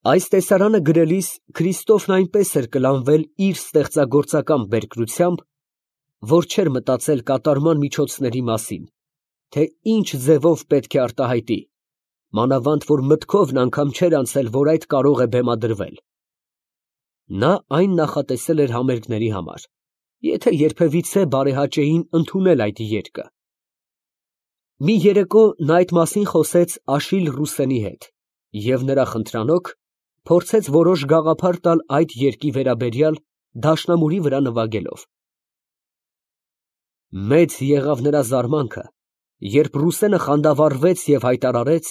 Այս տեսարանը գրելիս Քրիստոֆն այնպես էր կլանվել իր ստեղծագործական բերկրությամբ, որ չէր մտածել կատարման միջոցների մասին, թե ինչ ձևով պետք է արտահայտի, մանավանդ որ մտքովն անգամ չէր անցել, որ այդ կարող է բեմադրվել. նա այն նախատեսել էր համերգների համար, եթե երբևիցե բարեհաճեին ընդունել այդ երգը։ Մի երեկո նա այդ մասին խոսեց Աշիլ Ռուսենի հետ և նրա խնդրանոք փորձեց որոշ գաղափար տալ այդ երգի վերաբերյալ դաշնամուրի վրա նվագելով։ Մեծ եղավ նրա զարմանքը, երբ Ռուսենը խանդավառվեց և հայտարարեց,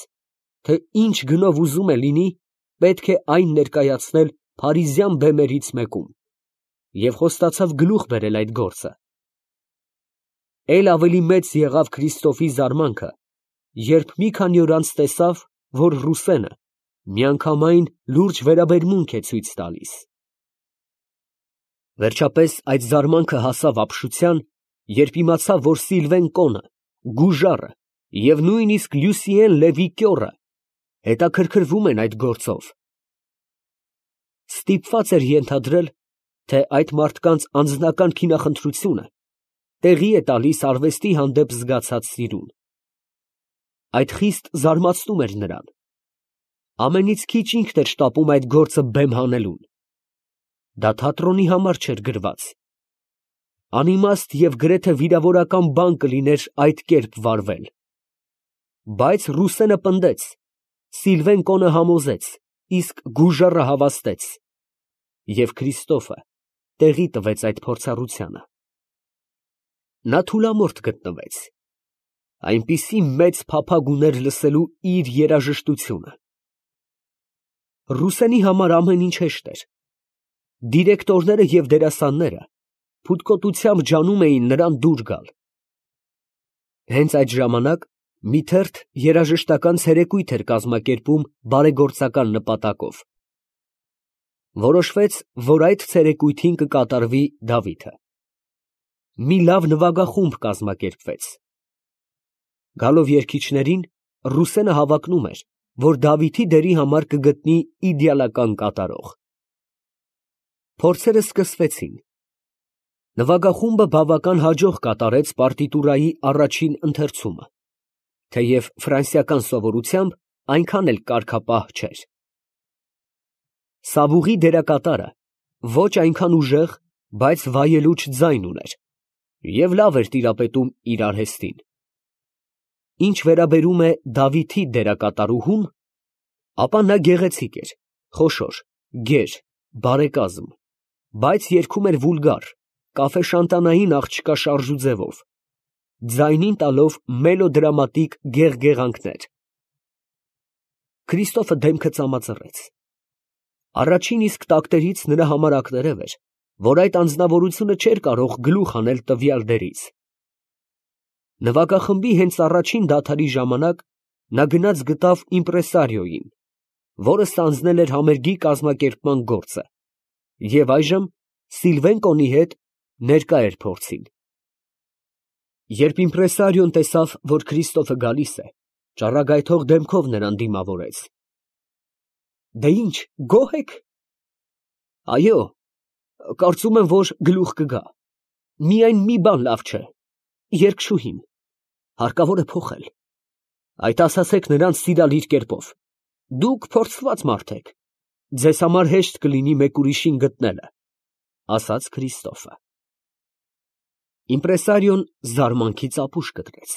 թե ինչ գնով ուզում է լինի, պետք է այն ներկայացնել փարիզյան բեմերից մեկում, և խոստացավ գլուխ բերել այդ գործը։ Էլ ավելի մեծ եղավ Քրիստոֆի զարմանքը, երբ մի քանի օր անց տեսավ, որ Ռուսենը միանգամայն լուրջ վերաբերմունք է ցույց տալիս։ Վերջապես այդ զարմանքը հասավ ապշության, երբ իմացավ, որ Սիլվեն Կոնը, Գուժարը և նույնիսկ Լյուսիեն Լևի կյոռը հետաքրքրվում են այդ գործով։ Ստիպված էր ենթադրել, թե այդ մարդկանց անձնական քինախնդրությունը տեղի է տալիս արվեստի հանդեպ զգացած սիրուն։ Այդ խիստ զարմացնում էր նրան։ Ամենից քիչ ինքն էր շտապում այդ գործը բեմ հանելուն։ Դա թատրոնի համար չէր գրված։ Անիմաստ և գրեթե վիրավորական բան կլիներ այդ կերպ վարվել։ Բայց Ռուսենը պնդեց, Սիլվեն Կոնը համոզեց, իսկ Գուժարը հավաստեց, և Քրիստոֆը տեղի տվեց այդ փորձառությանը։ Նա թուլամորթ գտնվեց, այնպիսի մեծ փափագ ուներ լսելու իր երաժշտությունը։ Ռուսենի համար ամեն ինչ հեշտ էր։ Դիրեկտորները և դերասանները փութկոտությամբ ջանում էին նրան դուր գալ։ Հենց այդ ժամանակ մի թերթ երաժշտական ցերեկույթ էր կազմակերպում բարեգործական նպատակով։ Որոշվեց, որ այդ ցերեկույթին կկատարվի Դավիթը։ Մի լավ նվագախումբ կազմակերպվեց։ Գալով երգիչներին, Ռուսենը հավակնում էր, որ Դավիթի դերի համար կգտնի իդեալական կատարող։ Փորձերը սկսվեցին։ Նվագախումբը բավական հաջող կատարեց պարտիտուրայի առաջին ընթերցումը, թեև ֆրանսիական սովորությամբ այնքան էլ կարգապահ չէր։ Սավուղի դերակատարը ոչ այնքան ուժեղ, բայց վայելուչ ձայն ուներ և լավ էր տիրապետում իր արհեստին։ Ինչ վերաբերում է Դավիթի դերակատարուհուն, ապա նա գեղեցիկ էր, խոշոր, գեր, բարեկազմ, բայց երգում էր վուլգար, կաֆեշանտանային աղջկա շարժուձևով, ձայնին տալով մելոդրամատիկ գեղգեղանքներ։ Քրիստոֆը դեմքը ծամածռեց։ Առաջին իսկ տակտերից նրա համար ակներև էր, որ այդ անձնավորությունը չէր կարող գլուխ հանել տվյալ դերից։ Նվագախմբի հենց առաջին դադարի ժամանակ նա գնաց գտավ իմպրեսարիոյին, որը ստանձնել էր համերգի կազմակերպման գործը, և այժմ Սիլվեն Կոնի հետ ներկա էր փորձին։ Երբ իմպրեսարիոն տեսավ, որ Քրիստոֆը գալիս է, ճառագայթող դեմքով նրան դիմավորեց։ ֊ Դե ի՞նչ, գոհ եք։ ֊ Այո, կարծում եմ, որ գլուխ կգա, միայն մի բան լավ չէ, երգչուհին, հարկավոր է փոխել, այդ ասացեք նրան սիրալիր կերպով, դուք փորձված մարդ եք, ձեզ համար հեշտ կլինի մեկ ուրիշին գտնելը, ֊ ասաց Քրիստոֆը։ Իմպրեսարիոն զարմանքից ապուշ կտրեց։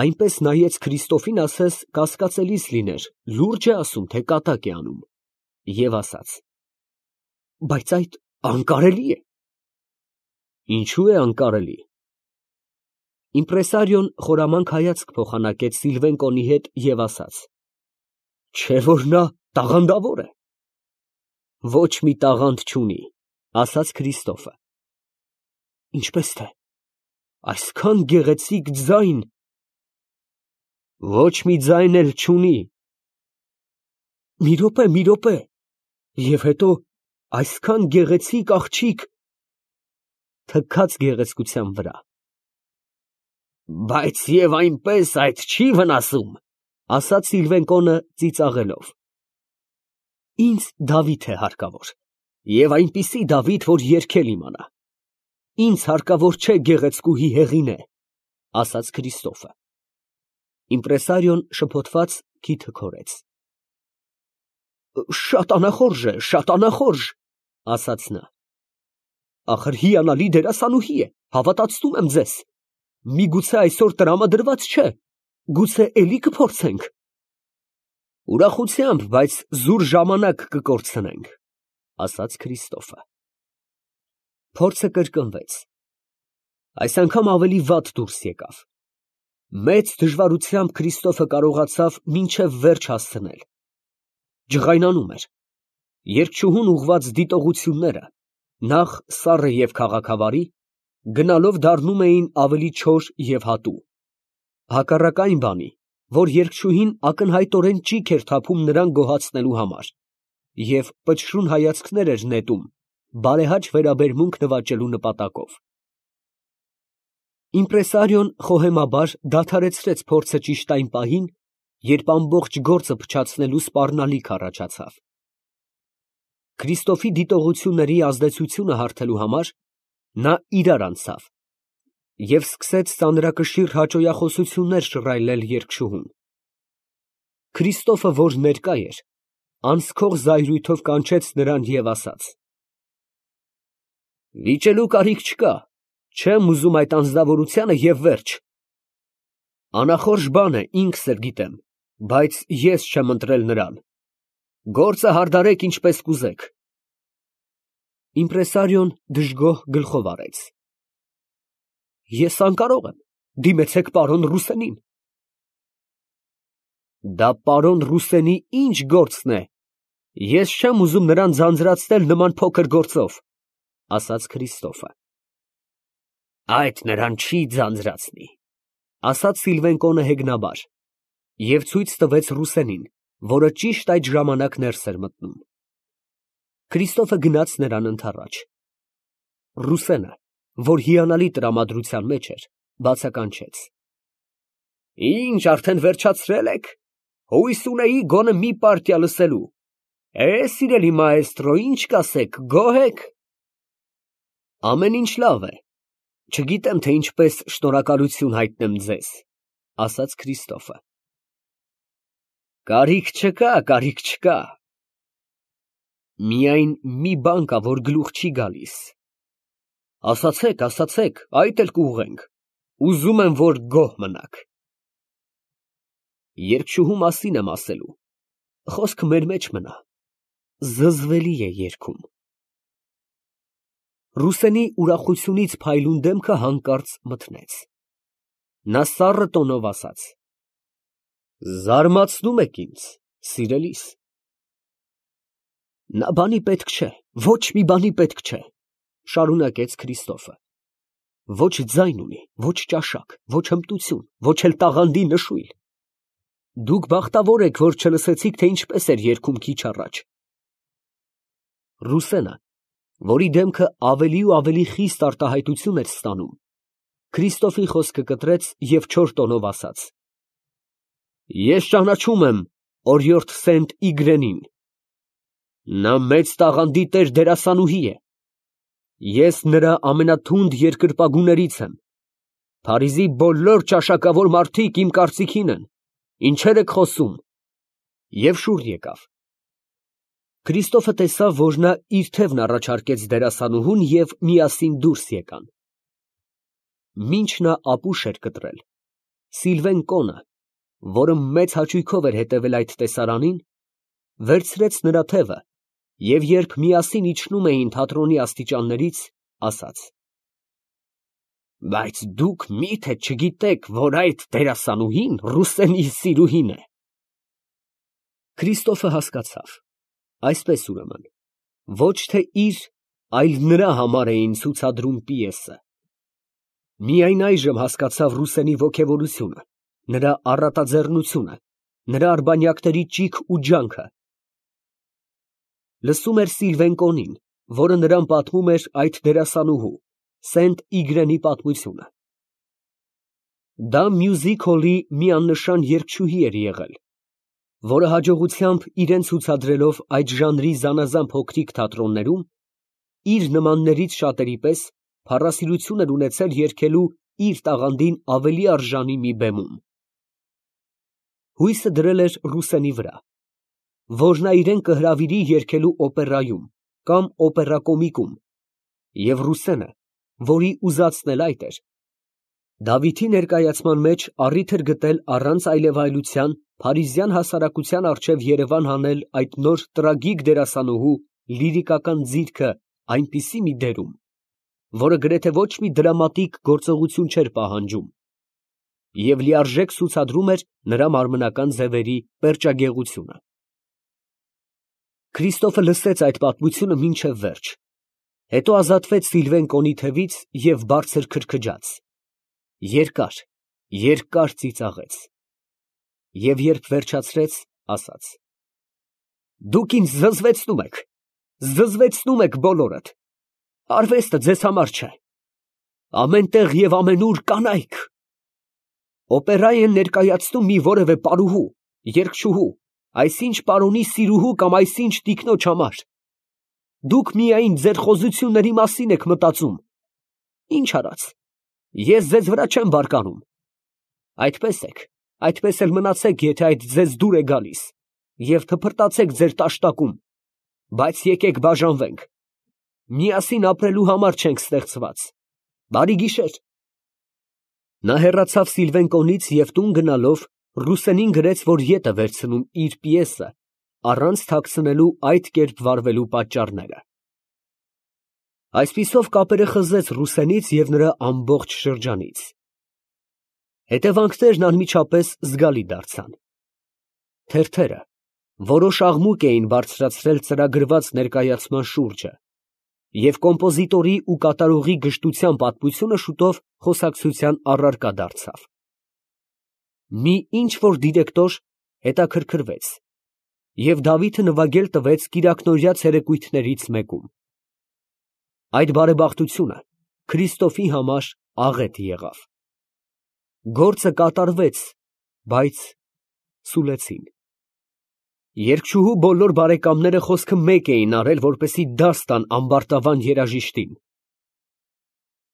Այնպես նայեց Քրիստոֆին, ասես կասկածելիս լիներ, լուրջ է ասում, թե կատակ է անում, և ասաց. Բայց այդ անկարելի է։ Ինչու է անկարելի։ Իմպրեսարիոն խորամանկ հայացք փոխանակեց Սիլվեն Կոնի հետ և ասաց. Չէ՞ որ նա տաղանդավոր է։ Ոչ մի տաղանդ չունի, ասաց Քրիստոֆը։ Ինչպես թե, այսքան գեղեցիկ ձայն։ Ոչ մի ձայն էլ չունի։ Մի րոպե, և հետո այսքան գեղեցիկ աղջիկ թքած գեղեցկության վրա։ Բայց և այնպես այդ չի վնասում, ասաց Սիլվեն Կոնը ծիծաղելով։ Ինձ Դավիթ է հարկավոր, եւ այնպիսի Դավիթ, որ երգել իմանա։ Ինձ հարկավոր չէ գեղեցկուհի Հեղինե, ասաց Քրիստոֆը։ Իմպրեսարիոն շփոթված քիթը քորեց։ Շատ անախորժ, ասաց նա։ Ախր հիանալի դերասանուհի է, հավատացնում եմ ձեզ։ Միգուցե այսօր տրամադրված չէ, գուցե էլի կփորձենք։ Ուրախությամբ, բայց զուր ժամանակ կկորցնենք, ասաց Քրիստոֆը։ Փորձը կրկնվեց։ Այս անգամ ավելի վատ դուրս եկավ։ Մեծ դժվարությամբ Քրիստոֆը կարողացավ մինչև վերջ հասցնել։ Ջղայնանում էր։ Երգչուհուն ուղղված դիտողությունները, նախ սառը և քաղաքավարի, գնալով դառնում էին ավելի չոր և հատու։ Հակառակ այն բանի, որ երգչուհին ակնհայտորեն ճիգ էր թափում նրան գոհացնելու համար և պչռուն հայացքներ էր նետում բարեհաճ վերաբերմունք նվաճելու նպատակով։ Իմպրեսարիոն խոհեմաբար դադարեցրեց փորձը ճիշտ այն պահին, երբ ամբողջ գործը փչացնելու սպառնալիք առաջացավ։ Քրիստոֆի դիտողությունների ազդեցությունը հարթելու համար նա իրար անցավ և սկսեց ծանրակշիռ հաճոյախոսություններ շռայլել երգչուհուն։ Քրիստոֆը, որ ներկա էր, անսքող զայրույթով կանչեց նրան և ասաց. Վիճելու կարիք չկա, չեմ ուզում այդ անձնավորությանը և վերջ։ Անախորժ բան է, ինքս էլ գիտեմ, բայց ես չեմ ընտրել նրան։ Գործը հարդարեք ինչպես կուզեք։ Իմպրեսարիոն դժգոհ գլխով արեց։ Ես անկարող եմ, դիմեցեք պարոն Ռուսենին։ Դա պարոն Ռուսենի ինչ գործն է, ես չեմ ուզում նրան ձանձրացնել նման փոքր գործով, ասաց Քրիստոֆը։ Այդ նրան չի ձանձրացնի, ասաց Սիլվենկոնը հեգնաբար և ցույց տվեց Ռուսենին, որը ճիշտ այդ ժամանակ ներս էր մտնում։ Քրիստոֆը գնաց նրան ընդառաջ։ Ռուսենը, որ հիանալի տրամադրության մեջ էր, բացականչեց. Ինչ, արդեն վերջացրել եք։ Հույս ունեի գոնե մի պարտիա լսելու։ Սիրելի մաեստրո, ինչ կասեք, գոհ եք։ Ամեն ինչ լավ է։ Չգիտեմ, թե ինչպես շնորհակալություն հայտնեմ ձեզ, ասաց Քրիստոֆը։ Կարիք չկա։ Միայն մի բան կա, որ գլուխ չի գալիս։ Ասացեք, այդ էլ կուղղենք։ Ուզում եմ, որ գոհ մնաք։ Երգչուհու մասին եմ ասելու։ Խոսքը մեր մեջ մնա։ Զզվելի է երգում։ Ռուսենի ուրախությունից փայլուն դեմքը հանկարծ մթնեց։ Նա սառը տոնով ասաց. Զարմացնում եք ինձ, սիրելիս։ Նա բանի պետք չէ, ոչ մի բանի պետք չէ, շարունակեց Քրիստոֆը։ Ոչ ձայն ունի, ոչ ճաշակ, ոչ հմտություն, ոչ էլ տաղանդի նշույլ։ Դուք բախտավոր եք, որ չլսեցիք, թե ինչպես էր երգում քիչ առաջ։ Ռուսենը, որի դեմքը ավելի ու ավելի խիստ արտահայտություն էր ստանում, Քրիստոֆի խոսքը կտրեց և չոր տոնով ասաց. Ես ճանաչում եմ օրիորդ Սենտ Իգրենին։ Նա մեծ տաղանդի տեր դերասանուհի է։ Ես նրա ամենաթունդ երկրպագուներից եմ։ Փարիզի բոլոր ճաշակավոր մարդիկ իմ կարծիքին են։ Ինչեր եք խոսում։ Եվ շուռ եկավ։ Քրիստոֆը տեսավ, որ նա իր թևն առաջարկեց դերասանուհուն և միասին դուրս եկան։ Մինչ նա ապուշ էր կտրել, Սիլվենկոնը, որը մեծ հաճույքով էր հետևել այդ տեսարանին, վերցրեց նրա թևը և երբ միասին իջնում էին թատրոնի աստիճաններից, ասաց. Բայց դուք մի՞թե չգիտեք, որ այդ դերասանուհին Ռուսենի սիրուհին է։ Քրիստոֆը հասկացավ. այսպես ուրեմն, ոչ թե իր, այլ նրա համար էին ցուցադրում պիեսը։ Միայն այժմ հասկացավ Ռուսենի ոգևորությունը, նրա առատաձեռնությունը, նրա արբանյակների ճիգ ու ջանքը։ Լսում էր Սիլվենկոնին, որը նրան պատմում էր այդ դերասանուհու, Սենտ Իգրենի պատմությունը։ Դա մյուզիկ հոլի մի աննշան երգչուհի էր եղել, որը հաջողությամբ իրեն ցուցադրելով այդ ժանրի զանազան փոքրիկ թատրոններում, իր նմաններից շատերի պես փառասիրություն էր ունեցել երգելու իր տաղանդին ավելի արժանի մի բեմում։ Հույսը դրել էր Ռուսենի վրա, որ նա իրեն կհրավիրի երգելու օպերայում կամ օպերակոմիկում, և Ռուսենը, որի ուզածն էլ այդ էր, Դավիթի ներկայացման մեջ առիթ էր գտել առանց այլևայլության փարիզյան հասարակության առջև երևան հանել այդ նոր տրագիկ դերասանուհու լիրիկական ձիրքը այնպիսի մի դերում, որը գրեթե ոչ մի դրամատիկ գործողություն չէր պահանջում և լիարժեք ցուցադրում էր նրա մարմնական ձևերի պերճագեղությունը։ Քրիստոֆը լսեց այդ պատմությունը մինչև վերջ, հետո ազատվեց Սիլվեն կոնի թևից և բարձր քրքջաց, երկար ծիծաղեց և երբ վերջացրեց, ասաց. «Դուք ինձ զզվեցնում եք բոլորդ, արվեստը ձեզ համար չէ, ամեն տեղ և ամենուր կանայք, օպերա են ներկայացնում մի որևէ պարուհու, երգչուհու, այսինչ պարոնի սիրուհու կամ այսինչ տիկնոջ համար, դուք միայն ձեր խոզությունների մասին եք մտածում, ինչ արած, ես ձեզ վրա չեմ բարկանում, այդպես եք, այդպես էլ մնացեք, եթե այդ ձեզ դուր է գալիս, և թփրտացեք ձեր տաշտակում, բայց եկեք բաժանվենք, միասին ապրելու համար չենք ստեղծված, բարի գիշեր»։ Նա հեռացավ Սիլվեն կոնից և տուն գնալով Ռուսենին գրեց, որ ետ է վերցնում իր պիեսը, առանց թաքցնելու այդ կերպ վարվելու պատճառները։ Այսպիսով կապերը խզեց Ռուսենից և նրա ամբողջ շրջանից։ Հետևանքներն անմիջապես զգալի դարձան։ Թերթերը որոշ աղմուկ էին բարձրացրել ծրագրված ներկայացման շուրջը, և կոմպոզիտորի ու կատարողի գժտության պատմությունը շուտով խոսակցության առարկա դարձավ։ Մի ինչ֊որ դիրեկտոր հետաքրքրվեց և Դավիթը նվագել տվեց կիրակնօրյա ցերեկույթներից մեկում։ Այդ բարեբախտությունը Քրիստոֆի համար աղետ եղավ։ Գործը կատարվեց, բայց սուլեցին։ Երգչուհու բոլոր բարեկամները խոսքը մեկ էին արել, որպեսզի դաս տան ամբարտավան երաժիշտին։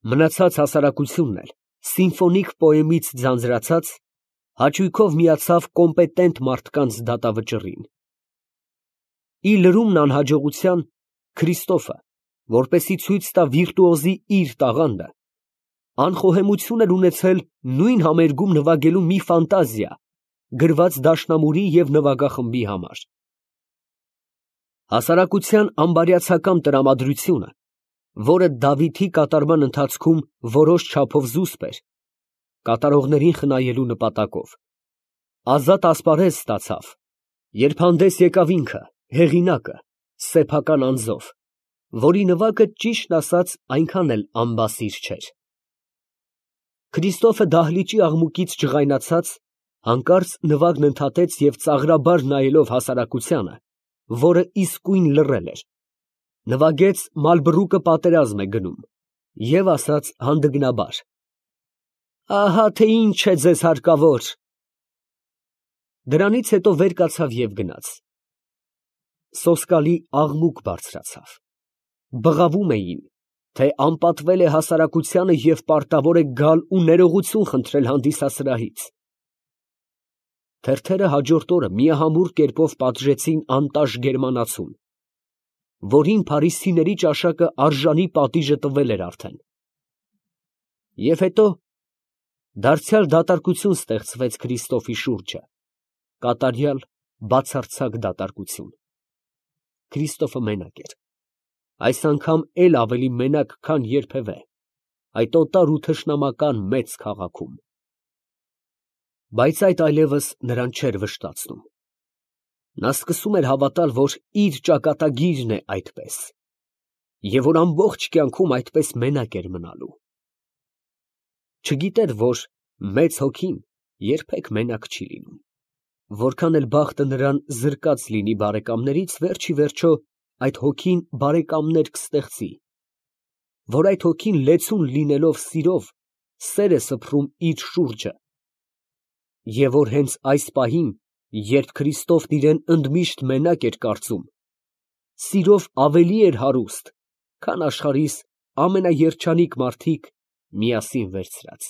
Մնացած հասարակությունն էլ, սիմֆոնիկ պոեմից ձանձրացած, հաճույքով միացավ կոմպետենտ մարդկանց դատավճռին։ Ի լրումն անհաջողության, Քրիստոֆը, որպեսզի ցույց տա վիրտուոզի իր տաղանդը, անխոհեմություն էր ունեցել նույն համերգում նվագելու մի ֆանտազիա, գրված դաշնամուրի և նվագախմբի համար։ Հասարակության անբարյացակամ տրամադրությունը, որը Դավիթի կատարման ընթացքում որոշ չափով զուսպ էր, կատարողներին խնայելու նպատակով, ազատ ասպարեզ ստացավ, երբ հանդես եկավ ինքը, հեղինակը, սեփական անձով, որի նվագը ճիշտն ասած այնքան էլ անբասիր չէր։ Քրիստոֆը դահլիճի աղմուկից ջղայնացած, հանկարծ նվագն ընդհատեց և ծաղրաբար նայելով հասարակությանը, որը իսկույն լռել էր, նվագեց «Մալբրուկը պատերազմ է գնում» և ասաց հանդգնաբար. «Ահա թե ինչ է ձեզ հարկավոր»։ Դրանից հետո վեր կացավ և գնաց։ Սոսկալի աղմուկ բարձրացավ։ Բղավում էին, թե անպատվել է հասարակությանը և պարտավոր է գալ ու ներողություն խնդրել հանդիսասրահից։ Թերթերը հաջորդ օրը միահամուռ կերպով պատժեցին անտաշ գերմանացուն, որին փարիզցիների ճաշակը արժանի պատիժը տվել էր արդեն։ Եվ հետո դարձյալ դատարկություն ստեղծվեց Քրիստոֆի շուրջը, կատարյալ բացարձակ դատարկություն։ Քրիստոֆը մենակ էր, այս անգամ էլ ավելի մենակ, քան երբևէ, այդ օտար ու թշնամական մեծ քաղաքում։ Բայց այդ այլևս նրան չէր վշտացնում։ Նա սկսում էր հավատալ, որ իր ճակատագիրն է այդպես, և որ ամբողջ կյանքում այդպես մենակ էր մնալու։ Չգիտեր, որ մեծ հոգին երբեք մենակ չի լինում։ Որքան էլ բախտը նրան զրկած լինի բարեկամներից, վերջ ի վերջո այդ հոգին բարեկամներ կստեղծի, որ այդ հոգին լեցուն լինելով սիրով, սեր է սփռում իր շուրջը, և որ հենց այս պահին Երբ Քրիստոֆն իրան ընդմիշտ մենակ էր կարծում, սիրով ավելի էր հարուստ, քան աշխարհիս ամենաերջանիկ մարդիկ միասին վերցրած։